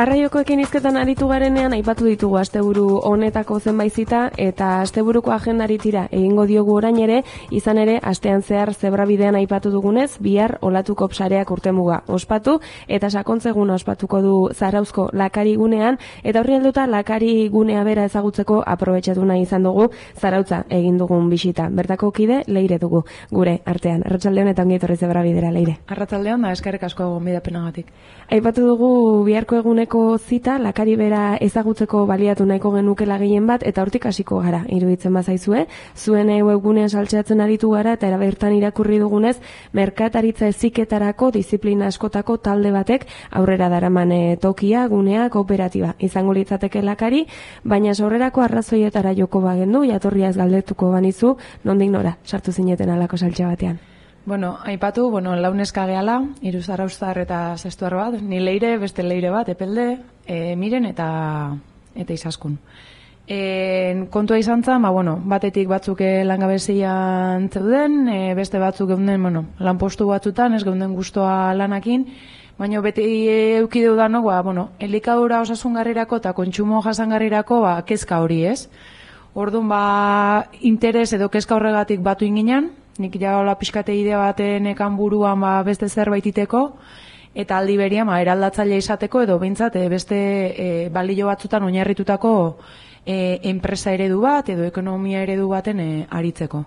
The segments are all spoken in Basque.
Arraiokoekin hizketan aritu garenean aipatu ditugu asteburu honetako zenbait zita eta asteburuko agendari tira egingo diogu orain ere, izan ere astean zehar zebrabidean aipatu dugunez, bihar olatuko sareak urtemuga ospatu eta sakontzeguna ospatuko du Zarauzko Lakari gunean eta horri helduta Lakari gunea bera ezagutzeko aprobetxatu nahi izan dugu Zarautza egin dugun bisita. Bertako kide Leire dugu gure artean. Arratsaldeon eta ongi etorri zebrabidera, Leire. Arratsaldeon da eskerrik asko gonbidapenagatik. Aipatu dugu biharko eguneko zita Lakari bera ezagutzeko baliatu nahiko genukela gehien bat eta hortik hasiko gara iruditzen bazaizue. Zuen webgunean saltzeatzen aritu gara eta bertan irakurri dugunez merkataritza heziketarako disiplina askotako talde batek aurrera daraman tokia, gunea, kooperatiba izango litzateke Lakari, baina sorrerako arrazoietara joko bagendu, jatorriaz galdetuko banizu, nondik nora sartu zineten alako saltxe batean. Aipatu, launeska gehala, 3 zarauztar eta 6 bat, ni Leire, beste Leire bat, Epelde, Miren eta Izaskun. Kontua izan zen, batetik batzuk langabezian zeuden, beste batzuk geunden, lanpostu batzutan, ez geunden gustoa lanakin, baina beti eukideu danok, elikadura osasungarrirako eta kontsumo jasangarrirako kezka hori ez. Orduan, interes edo kezka horregatik batu inginen, nik jaola pixkate idea baten ekan buruan beste zerbait iteko, eta aldi berian eraldatzaile izateko edo behintzat beste balio batzutan oinarritutako enpresa eredu bat edo ekonomia eredu baten aritzeko.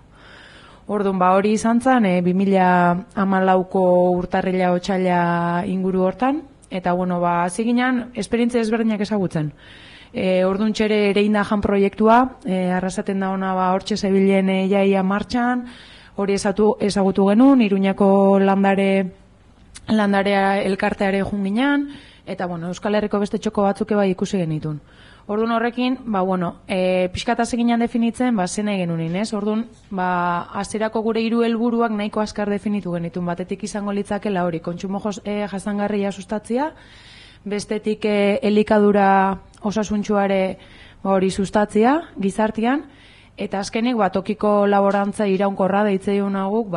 Orduan, hori izan zen 2014ko urtarrila otsaila inguru hortan, eta hasi ginen esperientzia ezberdinak ezagutzen. Orduan txere Ereinda jan proiektua, arrasaten da ona hortxe zebilen jaia martxan, hori ezagutu genuen, Iruñako landarea elkarteare jun ginen, eta Euskal Herriko beste txoko batzuk ikusi genitun. Orduan horrekin, pixkataz eginan definitzen, zen nahi genuen, ez? Orduan, hasierako gure 3 helburuak nahiko azkar definitu genitun, batetik izango litzakela hori, kontsumo jasangarria sustatzia, bestetik elikadura osasuntsuare hori sustatzia, gizartean, eta azkenik tokiko laborantza iraunkorra deitzeion aguk,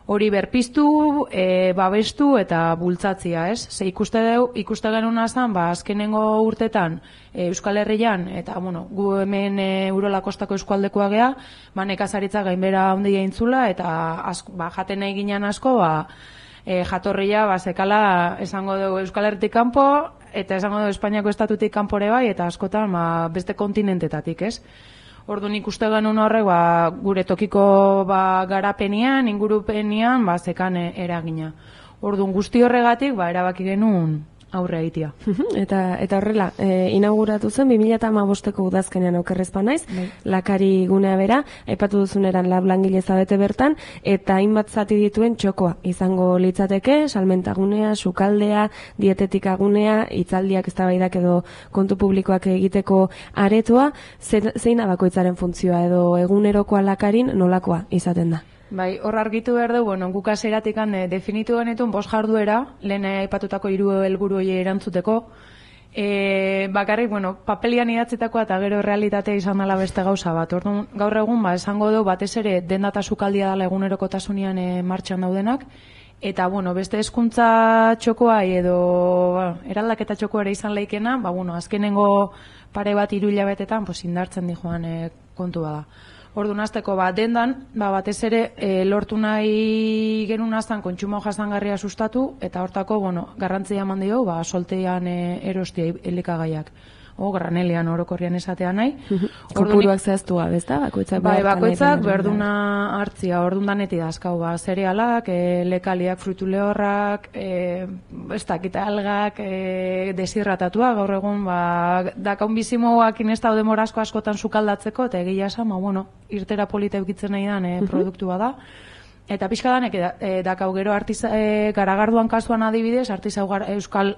hori berpiztu, babestu eta bultzatzia, ez? Ze ikuste genuna zen, azkenengo urtetan Euskal Herrian, eta gu hemen Urola Kostako eskualdekoa gea, nekazaritza gainbera handia intzula, eta jaten nahi ginen asko, jatorria sekala esango dugu Euskal Herritik kanpo, eta esango dugu Espainiako estatutik kanpore bai, eta askotan beste kontinentetatik, ez? Orduan ikuste genuen horrek gure tokiko garapenean, ingurupenian zekan eragina. Orduan guzti horregatik erabaki genuen aurre egitea. Eta horrela, inauguratu zen 2015ko udazkenean okerrezpa naiz, Lakari gunea bera, aipatu duzuneran langile zabete bertan, eta hainbat zati dituen txokoa izango litzateke, salmentagunea, sukaldea, dietetikagunea, hitzaldiak eztabaidak edo kontu publikoak egiteko aretoa, zein bakoitzaren funtzioa edo egunerokoa Lakarin nolakoa izaten da? Hor argitu behar dugu, guk hasieratik definitu genituen 5 jarduera, lehen aipatutako 3 helburu horiei erantzuteko. Bakarrik, papelian idatzitakoa eta gero realitatea izan dela beste gauza bat. Orduan, gaur egun, esango dugu, batez ere, denda eta sukaldia dela egunerokotasunean martxan daudenak, eta, beste hezkuntza txokoa edo eraldaketa txokoa ere izan leikena, azkenengo pare bat 3 hilabetetan indartzen dijoan kontu bada. Orduan hasteko dendan, batez ere lortu nahi genuen aztan kontsumo jasangarria sustatu, eta hortako, garrantzia eman dio, soltean erostia elikagaiak. Granelian orokorrian esatea nahi. Kopuruak zehaztu gabe, ezta? Bakoitzak berduna hartzia, orduan daneti dazkau, zerealak, lekaliak, fruitu lehorrak, ez dakita algak, desirratatua, gaur egun, dakaun bizimoak inestau demorazko askotan sukaldatzeko, eta egia esan, irtera polita eukitzen nahi dan produktua da. Eta pixka danek, dakau gero garagarduan kasuan adibidez, Euskal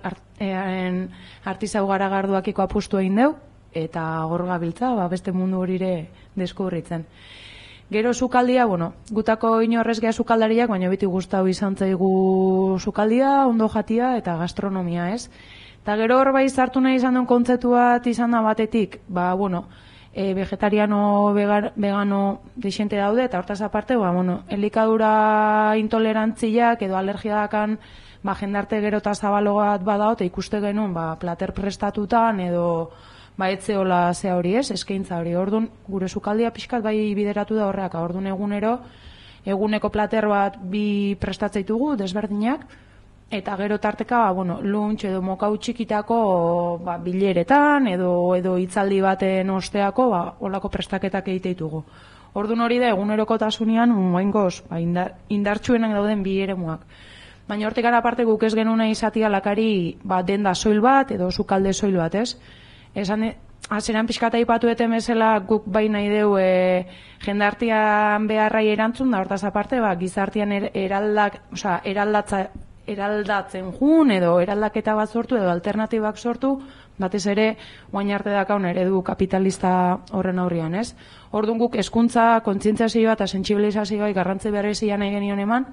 artizau garagarduakiko apustu egin deu, eta gor gabiltza, beste mundu horire deskubritzen. Gero sukaldia, gutako inorrez geha sukaldariak, baina beti gustau izan zaigu sukaldia, ondo jatia eta gastronomia, ez? Eta gero hor zartu nahi izan duen kontzeptu bat izan da batetik, vegetariano, vegano deixente daude, eta hortaz aparte, elikadura intolerantziak edo alergia dakan jendarte gero eta zabalogat badao, eta ikuste genuen, plater prestatutan, edo, etzeola zea hori ez, eskaintza hori. Orduan, gure sukaldia pixkat bai bideratu da horreak, orduan eguneko plater bat bi prestatzeitugu, desberdinak, eta gero tarteka, lunch edo mokau txikitako bileretan, edo hitzaldi baten osteako, olako prestaketak egiteitugu. Orduan hori da, egunerokotasunean, moengoz, indartsuenak dauden bi eremuak. Baina hortik gara aparte guk ez genuen izatia lakari denda soil bat, edo sukalde soil bat, ez? Azeran pixkata ipatu eten bezala guk bai nahi deu jendartian beharrai erantzun, da hortaz aparte, gizartian eraldatzen jun, edo eraldaketa bat sortu, edo alternatibak sortu, batez ere, oain arte dakaun eredu kapitalista horren aurrian, ez? Orduan guk hezkuntza, kontzientziazioa eta sentsibilizazioa garrantzi berezia nahi genion eman,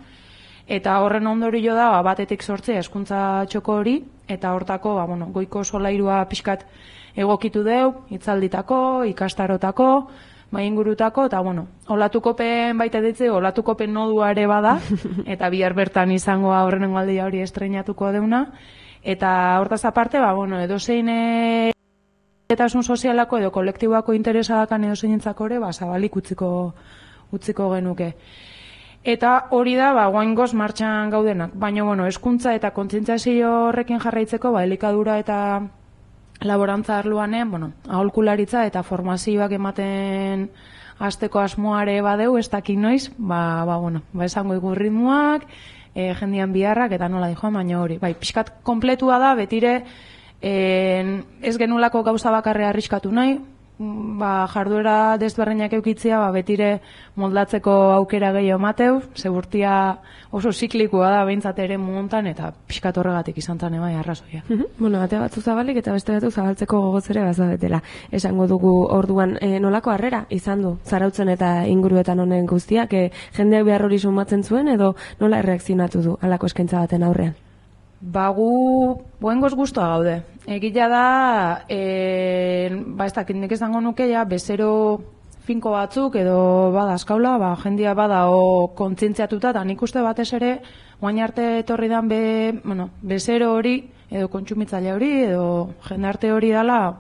eta horren ondorio da, batetik sortzea hezkuntza txoko hori, eta hortako, goiko solairua pixkat egokitu deu, hitzalditako, ikastarotako, ingurutako, eta olatukopen baita ditze, olatukopen nodua ere bada, eta bihar bertan izango aurrenengo aldia hori estreinatuko deuna, eta hortaz aparte, edozein etasun sozialako edo kolektiboako interesadakan edozeinentzako ere, zabalik utziko genuke. Eta hori da, guaingoz martxan gaudenak, baina, hezkuntza eta kontzientziazio horrekin jarraitzeko, elikadura eta laborantza arloanen, aholkularitza eta formazioak ematen hasteko asmoare badeu, ez dakit noiz, esango iku ritmoak, jendian biharrak, eta nola dijoan, baina hori. Pixkat kompletua da, betire, ez genulako gauza bakarrea arriskatu nahi, jarduera desberdinak eukitzia, betire moldatzeko aukera gehiago mateu, segurtia oso ziklikoa da behintzat ere montan, eta pixkat horregatik izan zan ebai arrazoia. Ate batzu zabalik eta beste batzu zabaltzeko gogoz ere bazabetela. Esango dugu orduan nolako harrera izan du, Zarautzen eta inguruetan honen guztiak, jendeak behar hori sumatzen zuen, edo nola erreakzionatu du halako eskaintza baten aurrean? Gu boengoz guztua gaude. Egila da, ez dakit nik esango nuke, bezero finko batzuk edo bada askaula, jendia bada kontzientziatuta, eta nik uste batez ere, guain arte etorri dan bezero hori, edo kontsumitzaile hori, edo jendarte hori dala,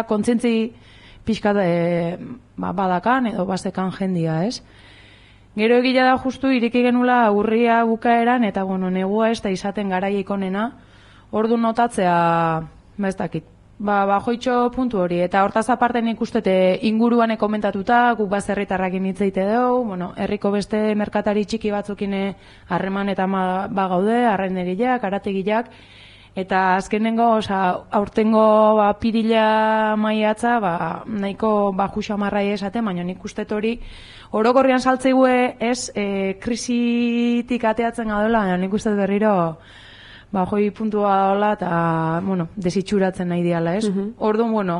kontzientzi pixka badakan edo bazekan jendia, ez? Gero egila da justu iriki genula urria bukaeran, eta negua ez da izaten garaiek onena, ordu notatzea, ez dakit, joitxo puntu hori, eta hortaz aparte nik ustete inguruan komentatuta, guk bazerritarrakin hitzeite dugu, herriko beste merkatari txiki batzukine harreman eta gaude, arraindegileak, arategileak, eta azkenengo, aurtengo pirila maiatza, nahiko juxa marrai esaten, baina nik ustet hori, orokorrian saltzeigue ez, krisitik ateatzen gaudela, nik ustet berriro, joi puntua dola eta, desitxuratzen nahi diala, ez? Orduan,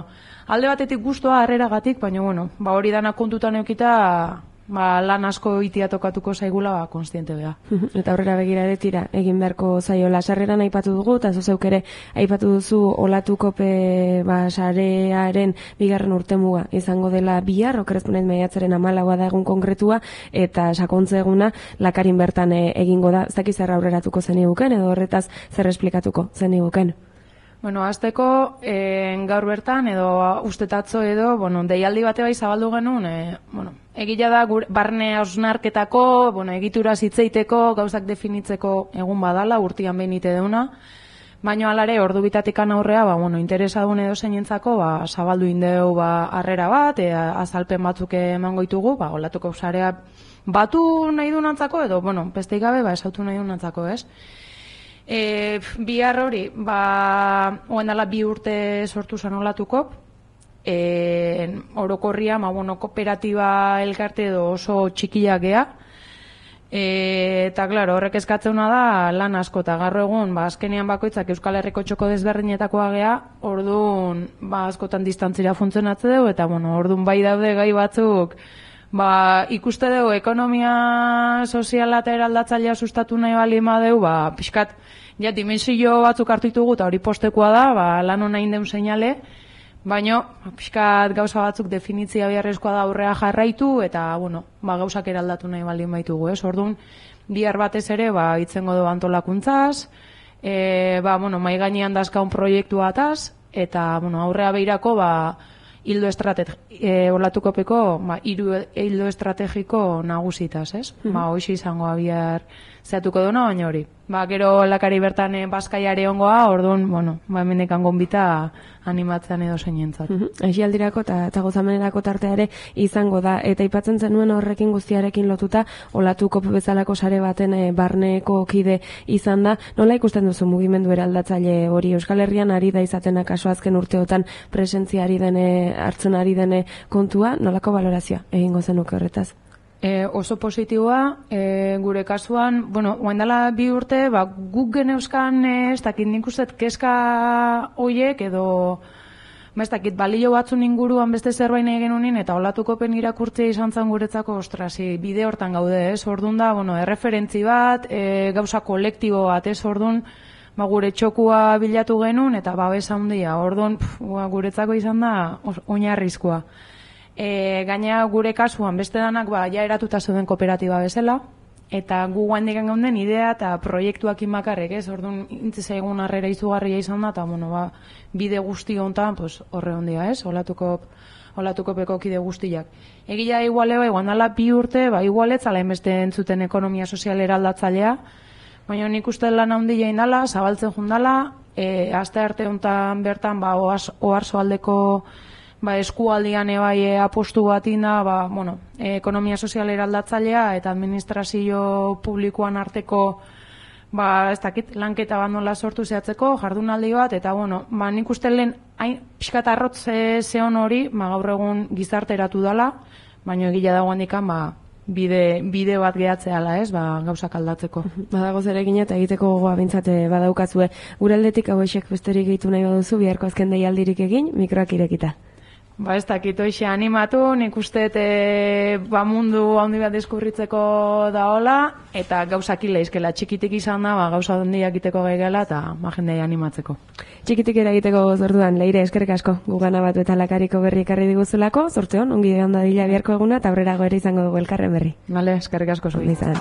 alde batetik guztua harreragatik, baina, hori dana kontutan eukita, lan asko itia tokatuko zaigula, konstiente beha. Eta aurrera begira ere tira, egin beharko zaiola sarreran aipatu dugu, eta zuzeuk ere aipatu duzu olatukope sarearen bigarren urtemuga izango dela bihar, okerrezpunez maiatzaren 14 da egun konkretua, eta sakontze eguna lakarin bertan egingo da. Ez dakiz zer aurreratuko zen iguken, edo horretaz zer esplikatuko zen iguken? Azteko, gaur bertan, edo ustetatzo edo, deialdi bate bai zabaldu genuen, egila da barne hausnarketako, egitura zitzeiteko, gauzak definitzeko egun badala, urtian behin ite deuna, baina alare, ordu bitatikan aurrea, interesadun edo zeinentzako, zabaldu indeu harrera bat, azalpen batzuk emango ditugu, olatuko sarea batu nahi dunantzako, edo, besteik gabe, esautu nahi dunantzako, ez? Bihar hori, oen dala 2 urte sortu zan olatuko, orokorria, kooperatiba elkarte edo oso txikiak gea, eta, klaro, horrek eskatzena da lan asko, eta garro egun, azkenean bakoitzak Euskal Herriko txoko desberdinetakoa gea, orduan, askotan distantzira funtzionatze dugu, eta, orduan bai daude gai batzuk, ikuste dugu ekonomia soziala eta eraldatzailea sustatu nahi bali madeu, pixkat, dimensio batzuk hartu ditugu, eta hori postekoa da, lan hona indeun seinale, baina, pixkat gauza batzuk definitzia beharrezkoa da aurrea jarraitu, eta, gauzak eraldatu nahi baldin baitugu, ez? Orduan, bihar batez ere, itzengo du antolakuntzaz, mai gainean dazkaun proiektu ataz, eta, aurrea behirako, olatukopeko, hiru hildo estrategiko nagusitaz, ez? Hoxe izango bihar zehatuko duna, baina hori. Gero lakari bertan bazkaiare ongoa, orduan, hemendekan gonbita animatzean edo zeinentzat. Aixi aldirako eta gozamenerako tarteare izango da. Eta aipatzen zenuen horrekin guztiarekin lotuta, olatukop bezalako sare baten barneko kide izan da. Nola ikusten duzu mugimendu eraldatzaile hori? Euskal Herrian ari da izaten akaso azken urteotan presentzia hartzen ari dene kontua, nolako balorazioa egingo zenuke horretaz? Oso positiboa, gure kasuan, oaindala 2 urte, guk geneuzkan, ez dakit nik ustet kezka hoiek edo, ez dakit balio batzun inguruan beste zerbait nahi genunin, eta olatukopen irakurtzea izan zen guretzako, bide hortan gaude, ez, orduan da, erreferentzi bat, gauza kolektibo bat, ez, orduan, gure txokua bilatu genuen, eta babesa handia, orduan, guretzako izan da, oinarrizkoa. Gaina gure kasuan beste danak ja eratuta zeuden kooperatiba bezala, eta gu guaindik gaunden idea eta proiektuak inbakarrek, ez? Orduan intzizaigun harrera izugarria izan da, eta bide guzti honetan horre hondia, ez? Olatukopeko kide guztiak. Egia igualeo, guandala 2 urte, igualetzala enbeste entzuten ekonomia sozial eraldatzailea, baina nik uste lan handia indala, zabaltzen jundala, aste arte honetan bertan oarzo aldeko eskualdian apostu bat inda, ekonomia sozial eraldatzailea eta administrazio publikoan arteko ez dakit, lanketa bat nola sortu zehatzeko, jardunaldi bat, eta nik uste lehen pixkat arrotz zehon hori, gaur egun gizarteratu dela, baina egila dagoen dikan, bide bat gehatzeala, ez, gauzak aldatzeko. Badago zerekin eta egiteko gogoa bintzate badaukazue. Gure aldetik hauexek besterik gehitu nahi baduzu, biharko azken deialdirik egin, mikroak irekita. Ez dakit, hoxe animatu, nik uste mundu handi bat deskubritzeko da hola, eta gauzak ileizkela txikitik izan da, gauza handiak egiteko gaigela, eta jendea animatzeko. Txikitik eragiteko zorduan, Leire, eskerrik asko, gugana batu eta lakariko berri ekarri diguzulako, zortzeon, ongi egon dadila biharko eguna, eta aurrerago ere izango dugu elkarren berri. Bale, eskerrik asko zuen. Izan.